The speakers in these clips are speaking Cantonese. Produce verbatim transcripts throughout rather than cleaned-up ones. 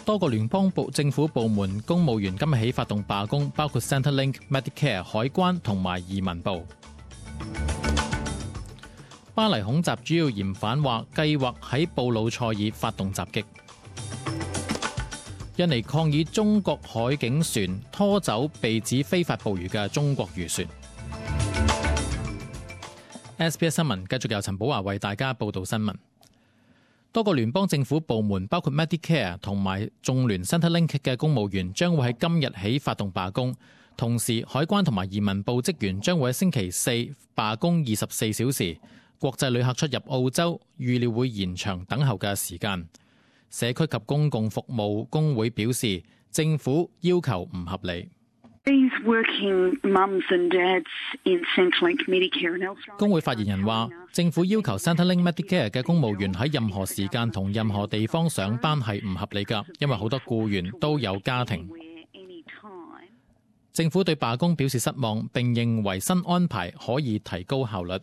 多個聯邦部政府部門公務員今日起發動罷工，包括 Centrelink、Medicare、海關同埋移民部。巴黎恐襲主要嫌犯話計劃喺布魯塞爾發動襲擊。印尼抗議中國海警船拖走被指非法捕魚嘅中國漁船。S B S 新聞繼續由陳寶華為大家報道新聞。多個聯邦政府部門，包括 Medicare 同埋眾聯 Centrelink 嘅公務員，將會喺今日起發動罷工。同時，海關同埋移民部職員將會喺星期四罷工二十四小時。國際旅客出入澳洲預料會延長等候嘅時間。社區及公共服務工會表示，政府要求唔合理。工會發言人話，政府要求 Centrelink Medicare 嘅公務員喺任何時間同任何地方上班係唔合理㗎，因為好多僱員都有家庭。政府對罷工表示失望，並認為新安排可以提高效率。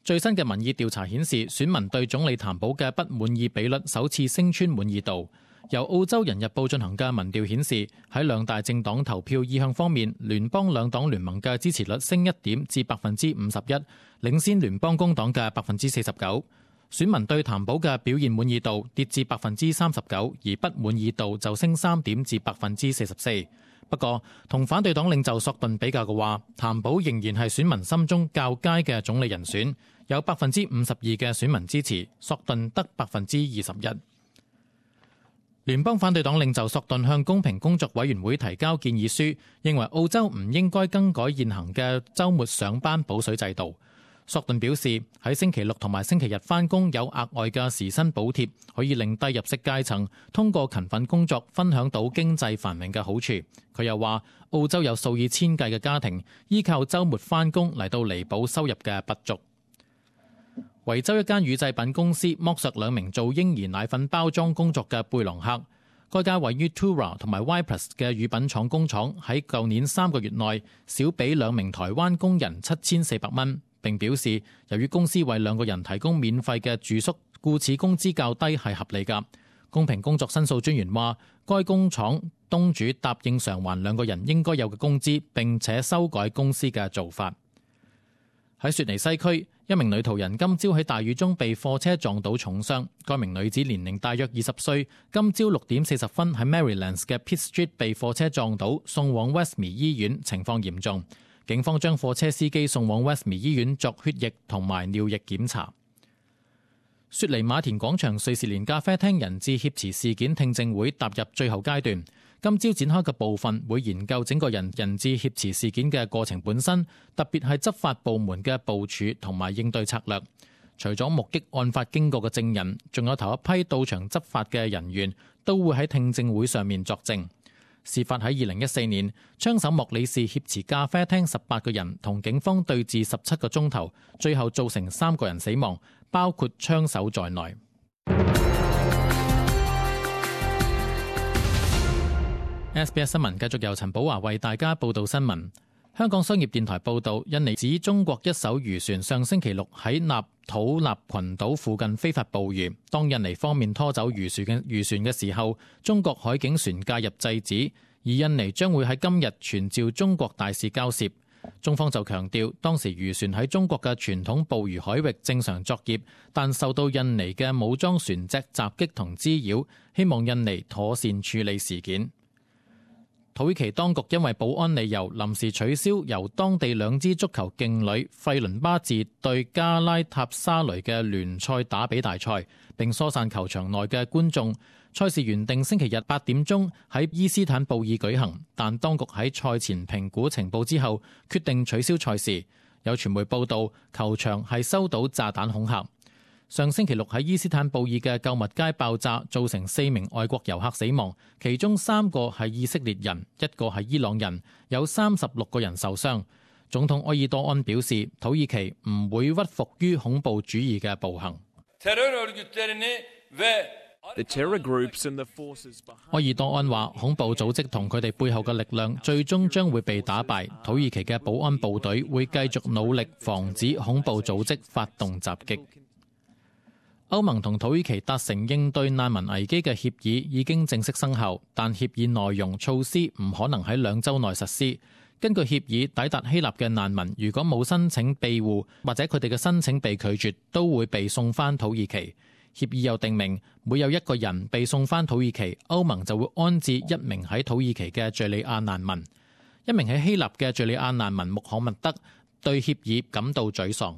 最新嘅民意調查顯示，選民對總理譚寶嘅不滿意比率首次升穿滿意度。由澳洲人日報進行嘅民調顯示，喺兩大政黨投票意向方面，聯邦兩黨聯盟嘅支持率升一點至百分之五十一，領先聯邦工黨嘅百分之四十九。選民對譚寶嘅表現滿意度跌至百分之三十九，而不滿意度就升三點至百分之四十四。不過，同反對黨領袖索頓比較嘅話，譚寶仍然係選民心中較佳嘅總理人選，有百分之五十二嘅選民支持，索頓得百分之二十一。聯邦反對黨領袖索頓向公平工作委員會提交建議書，認為澳洲唔應該更改現行嘅週末上班補水制度。索頓表示，喺星期六同埋星期日返工有額外嘅時薪補貼，可以令低入息階層通過勤奮工作分享到經濟繁榮嘅好處。佢又話，澳洲有數以千計嘅家庭依靠週末返工嚟到彌補收入嘅不足。維州一間乳製品公司剝削兩名做嬰兒奶粉包裝工作嘅貝朗克。該家位於 Tura 同埋 Ypres 嘅乳品廠工廠喺舊年三個月內少俾兩名台灣工人七千四百蚊。並表示，由於公司為兩個人提供免費嘅住宿，故此工資較低係合理㗎。公平工作申訴專員話，該工廠東主答應償還兩個人應該有嘅工資，並且修改公司嘅做法。喺雪梨西區，一名女途人今朝喺大雨中被貨車撞到重傷。該名女子年齡大約二十歲，今朝六點四十分喺 Marylands 嘅 Pitt Street 被貨車撞倒，送往 Westmead 醫院，情況嚴重。警方將貨車司機送往 Westmead 醫院作血液同埋尿液檢查。雪梨馬田廣場瑞士蓮咖啡廳人質挾持事件聽證會踏入最後階段，今朝展開嘅部分會研究整個人人質挾持事件嘅過程本身，特別係執法部門嘅部署同埋應對策略。除咗目擊案發經過嘅證人，仲有頭一批到場執法嘅人員都會喺聽證會上面作證。事發喺二零一四年，槍手莫里士挾持咖啡廳十八個人，同警方對峙十七個鐘頭，最後造成三個人死亡，包括槍手在內。S B S 新聞繼續由陳寶華為大家報道新聞。香港商業電台報道，印尼指中國一艘漁船上星期六喺納土納群島附近非法捕魚，當印尼方面拖走漁船嘅漁船嘅時候，中國海警船介入制止，而印尼將會喺今日傳召中國大使交涉。中方就強調，當時漁船喺中國嘅傳統捕魚海域正常作業，但受到印尼嘅武裝船隻襲擊同滋擾，希望印尼妥善處理事件。土耳其當局因為保安理由臨時取消由當地兩支足球勁旅費倫巴治對加拉塔沙雷嘅聯賽打比大賽，並疏散球場內嘅觀眾。賽事原定星期日八點鐘喺伊斯坦布爾舉行，但當局喺賽前評估情報之後，決定取消賽事。有傳媒報道，球場係收到炸彈恐嚇。上星期六喺伊斯坦布爾嘅購物街爆炸，造成四名外國遊客死亡，其中三個係以色列人，一個係伊朗人，有三十六個人受傷。總統埃爾多安表示，土耳其唔會屈服於恐怖主義嘅暴行。埃爾多安話，恐怖組織同佢哋背後嘅力量最終將會被打敗，土耳其嘅保安部隊會繼續努力防止恐怖組織發動襲擊。歐盟同土耳其達成應對難民危機嘅協議已經正式生效，但協議內容措施唔可能喺兩週內實施。根據協議，抵達希臘嘅難民如果冇申請庇護或者佢哋嘅申請被拒絕，都會被送返土耳其。協議又訂明，每有一個人被送返土耳其，歐盟就會安置一名喺土耳其嘅敘利亞難民。一名喺希臘嘅敘利亞難民穆罕默德對協議感到沮喪。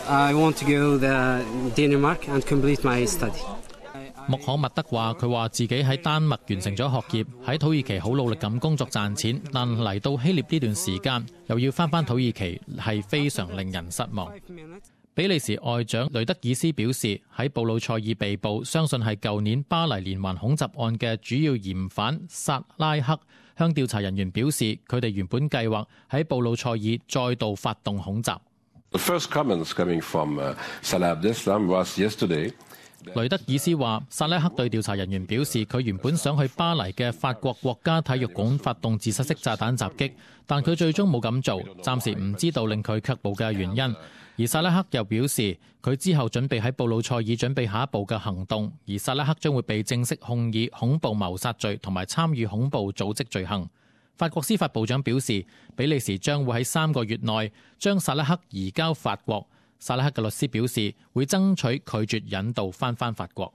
I want to go to Denmark and complete my study. 穆罕默德話：佢話自己喺丹麥完成咗學業，喺土耳其好努力咁工作賺錢，但嚟到希臘呢段時間又要翻返土耳其，係非常令人失望。比利時外長雷德爾斯表示，喺布魯塞爾被捕，相信係舊年巴黎連環恐襲案嘅主要嫌犯薩拉克，向調查人員表示，佢哋原本計劃喺布魯塞爾再度發動恐襲。The first comments coming from Salah Abdeslam was yesterday. 雷德爾斯話，薩拉克對調查人員表示，佢原本想去巴黎嘅法國國家體育館發動自殺式炸彈襲擊，但佢最終冇咁做，暫時唔知道令佢卻步嘅原因。而薩拉克又表示，佢之後準備喺布魯塞爾準備下一步嘅行動，而薩拉克將會被正式控以恐怖謀殺罪同埋參與恐怖組織罪行。法國司法部長表示，比利時將會喺三個月內將薩拉克移交法國。薩拉克嘅律師表示，會爭取拒絕引渡翻返法國。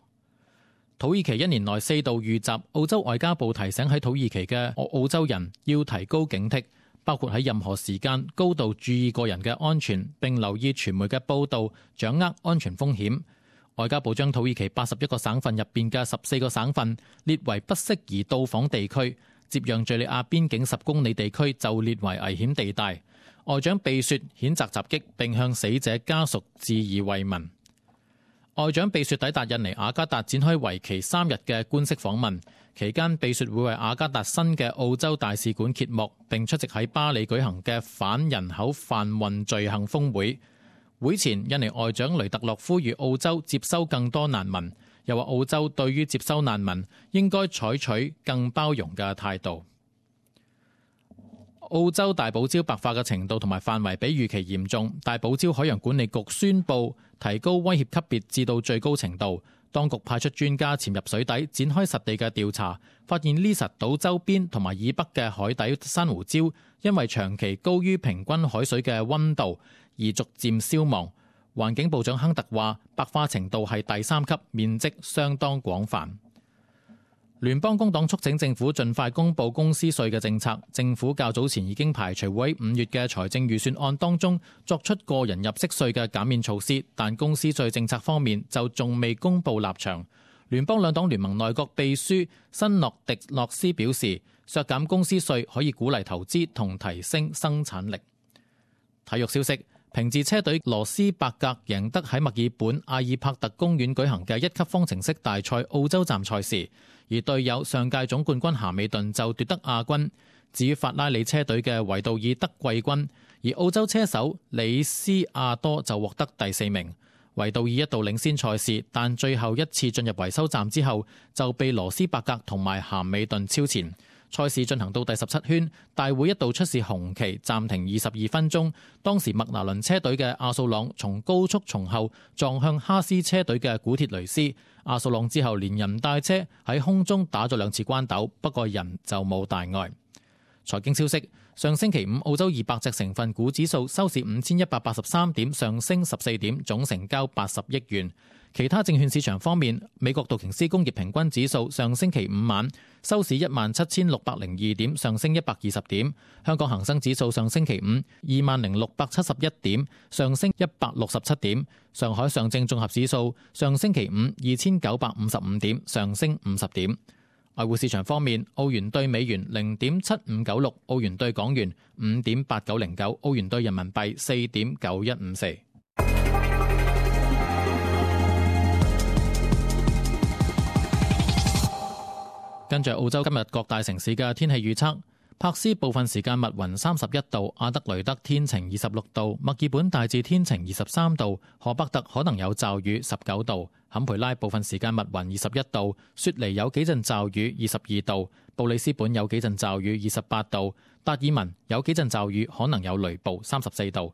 土耳其一年內四度遇襲，澳洲外交部提醒喺土耳其嘅澳洲人要提高警惕，包括喺任何時間高度注意個人嘅安全，並留意傳媒嘅報導，掌握安全風險。外交部將土耳其八十一個省份入邊嘅十四個省份列為不適宜到訪地區，接壤敘利亞邊境十公里地區就列為危險地帶。外長貝雪譴責襲擊，並向死者家屬致以慰問。外長貝雪抵達印尼雅加達，展開為期三日嘅官式訪問。期間，貝雪會為雅加達新嘅澳洲大使館揭幕，並出席喺巴黎舉行嘅反人口販運罪行峰會。會前，印尼外長雷特洛呼籲澳洲接收更多難民，又話澳洲對於接收難民應該採取更包容嘅態度。澳洲大堡礁白化嘅程度同埋範圍比預期嚴重，大堡礁海洋管理局宣布提高威脅級別至到最高程度。當局派出專家潛入水底，展開實地嘅調查，發現呢實島周邊同埋以北嘅海底珊瑚礁因為長期高於平均海水嘅溫度而逐漸消亡。環境部長亨特話，白化程度係第三級，面積相當廣泛。聯邦工黨促請政府盡快公布公司稅嘅政策。政府較早前已經排除會喺五月嘅財政預算案當中作出個人入息稅嘅減免措施，但公司稅政策方面就仲未公布立場。聯邦兩黨聯盟內閣秘書辛諾迪諾斯表示，削減公司稅可以鼓勵投資同提升生產力。體育消息，平治車隊羅斯伯格贏得喺墨爾本阿爾帕特公園舉行嘅一級方程式大賽澳洲站賽事，而隊友上屆總冠軍咸美頓就奪得亞軍。至於法拉利車隊嘅維杜爾得季軍，而澳洲車手李斯亞多就獲得第四名。維杜爾一度領先賽事，但最後一次進入維修站之後就被羅斯伯格同埋咸美頓超前。賽事進行到第十七圈，大會一度出示紅旗暫停二十二分鐘。當時麥拿倫車隊嘅阿素朗從高速從後撞向哈斯車隊嘅古鐵雷斯，阿素朗之後連人帶車喺空中打咗兩次關鬥，不過人就冇大礙。財經消息，上星期五澳洲二百隻成分股指數收市五千一百八十三點，上升十四點，總成交八十億元。其他證券市場方面，美國道瓊斯工業平均指數上星期五晚收市一萬七千六百零二點，上升一百二十點。香港恒生指數上星期五二萬零六百七十一點，上升一百六十七點。上海上證綜合指數上星期五二千九百五十五點，上升五十點。外匯市場方面，澳元對美元零點七五九六，澳元對港元五點八九零九，澳元對人民幣四點九一五四。跟住澳洲今日各大城市嘅天氣預測，柏斯部分時間密雲三十一度，阿德雷德天晴二十六度，墨爾本大致天晴二十三度，荷伯特可能有驟雨十九度，坎培拉部分時間密雲二十一度，雪梨有幾陣驟雨二十二度，布里斯本有幾陣驟雨二十八度，達爾文有幾陣驟雨可能有雷暴三十四度。